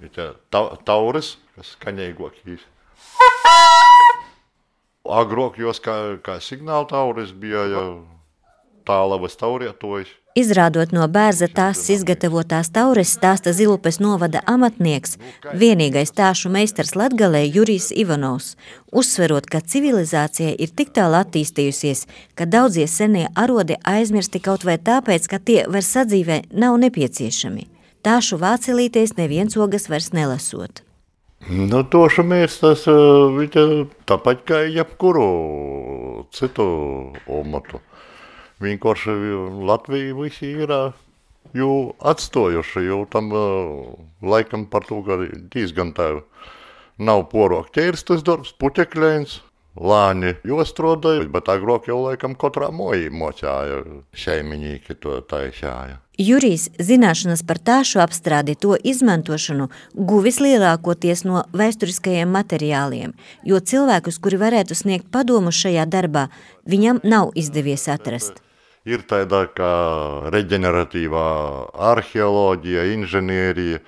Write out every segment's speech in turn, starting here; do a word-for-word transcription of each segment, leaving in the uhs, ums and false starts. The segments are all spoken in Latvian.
Ir ta, tauris, kas skaņīgākīs. Agrāk jos kā, kā signāla tauris bija jau tālavas taurietojs. Izrādot no bērza tās izgatavotās taures, stāsta Zilupes novada amatnieks, vienīgais tāšu meistars Latgalē Jurijs Ivanovs, uzsverot, ka civilizācija ir tik tālu attīstījusies, ka daudzie senie arodi aizmirsti kaut vai tāpēc, ka tie vairs sadzīvē nav nepieciešami. Tāšu vācelīties neviens ogas vairs nelasot. Nu, toša mēstas, viņa tāpat kā jebkuru citu omatu. Vienkārši Latvija visi ir jau atstojuši, jau tam laikam par to, ka diezgan tā nav porok ķērstas darbs, puķekļēns, lāņi jostrodāja, bet agrāk jau laikam katrā mojī mocāja, šeimiņīki to taisāja. Jurijs zināšanas par tāšu apstrādi to izmantošanu guvis lielākoties no vēsturiskajiem materiāliem, jo cilvēkus, kuri varētu sniegt padomu šajā darbā, viņam nav izdevies atrast. Ir tāda kā reģeneratīvā arheoloģija, inženierija,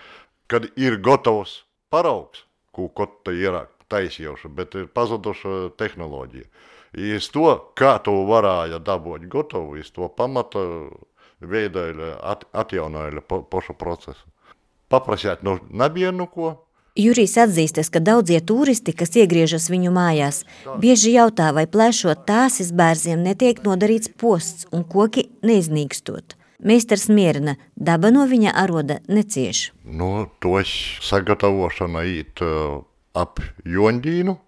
kad ir gatavs paraugs, ko kaut ir taisījuši, bet ir pazuduša tehnoloģija. Iz to, kā to varēja dabūt gatavu, iz to pamata veidoja, at, atjaunoja po, pošu procesu. Paprasēt no nebienu ko. Jurijs atzīstas, ka daudzie turisti, kas iegriežas viņu mājās, bieži jautā, vai plēšot tāsis bērziem netiek nodarīts posts un koki neiznīkstot. Meistars mierina, daba no viņa aroda necieš. Nu, tos sagatavošana īt uh, ap Jondīnu,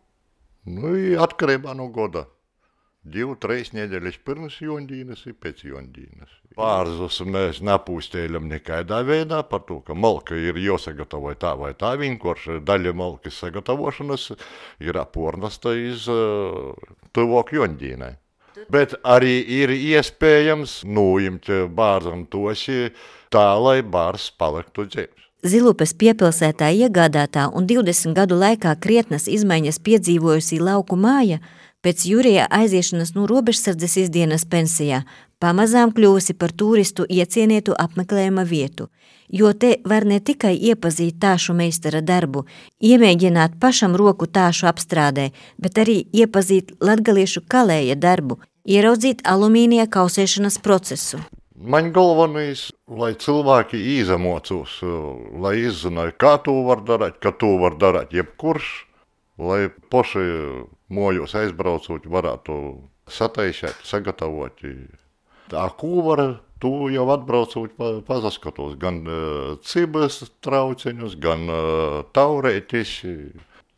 nu, atkarībā no goda. Divu, treis nedēļas pirms Jondīnas ir pēc Jondīnas. Pārzus mēs nepūstēļam nekaidā veidā par to, ka malka ir jāsagatavoja tā vai tā, vienkārši daļa malkas sagatavošanas ir apornasta iz uh, tuvāk Jondīnai. Bet arī ir iespējams nuimt bārzam tosi tā, lai bārs paliktu dzīves. Zilupes piepilsētā iegādātā un divdesmit gadu laikā krietnas izmaiņas piedzīvojusī lauku māja pēc Jurija aiziešanas no robežsardzes izdienas pensijā pamazām kļuvusi par turistu iecienētu apmeklējuma vietu, jo te var ne tikai iepazīt tāšu meistara darbu, iemēģināt pašam roku tāšu apstrādē, bet arī iepazīt latgaliešu kalēja darbu, ieraudzīt alumīnija kausēšanas procesu. Man galvenais, lai cilvēki izamocūs, lai izzināja, kā to var darīt, kā to var darīt jebkurš, lai paši mojos aizbraucot varētu sataisēt, sagatavot. Tā, ko var, tu jau atbraucot pazaskatos, gan uh, cibas trauceņus, gan uh, taurētis,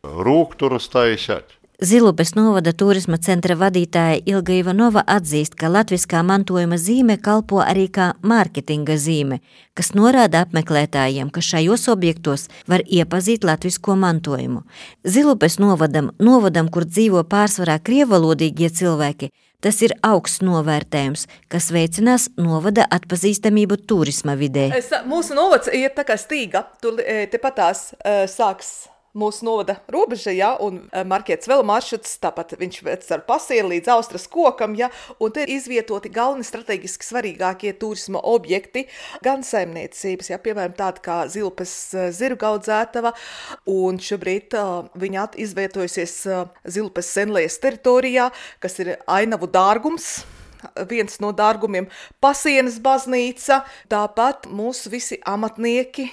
rūkturus taisēt. Zilupes novada turisma centra vadītāja Ilga Ivanova atzīst, ka latviskā mantojuma zīme kalpo arī kā mārketinga zīme, kas norāda apmeklētājiem, ka šajos objektos var iepazīt latvisko mantojumu. Zilupes novadam, novadam, kur dzīvo pārsvarā krievalodīgie cilvēki, tas ir augsts novērtējums, kas veicinās novada atpazīstamību turisma vidē. Es, mūsu novads ir tā kā stīga, tur tepatās uh, sāks mūsu novada robeža, ja, un markēts vēl maršruts, tāpat viņš vec ar pasieri līdz Austras kokam, ja, un te ir izvietoti galveni strateģiski svarīgākie turisma objekti, gan saimniecības, ja, piemēram tāda kā Zilupes zirgu audzētava, un šobrīd uh, viņa izvietojusies uh, Zilupes senlējas teritorijā, kas ir ainavu dārgums, viens no dārgumiem, Pasienes baznīca, tāpat mūsu visi amatnieki,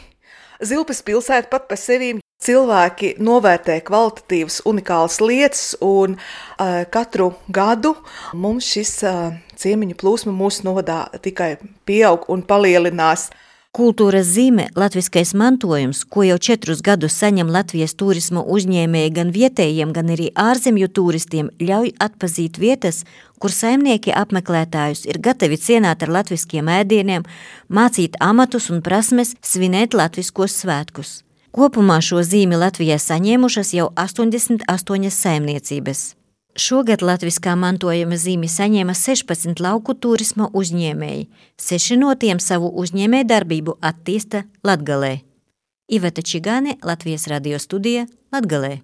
Zilupes pilsēta pat par sevīm. Cilvēki novērtē kvalitatīvas, unikālas lietas, un uh, katru gadu mums šis uh, ciemiņu plūsma mūsu novadā tikai pieaug un palielinās. Kultūras zīme, latviskais mantojums, ko jau četrus gadus saņem Latvijas turisma uzņēmēji gan vietējiem, gan arī ārzemju turistiem, ļauj atpazīt vietas, kur saimnieki apmeklētājus ir gatavi cienāt ar latviskiem ēdieniem, mācīt amatus un prasmes, svinēt latviskos svētkus. Kopumā šo zīmi Latvijā saņēmušas jau astoņdesmit astoņas saimniecības. Šogad latviskā mantojuma zīmi saņēma sešpadsmit lauku turisma uzņēmēji. Seši no tiem savu uzņēmēju darbību attīsta Latgalē. Iveta Čigāne, Latvijas radio studija, Latgalē.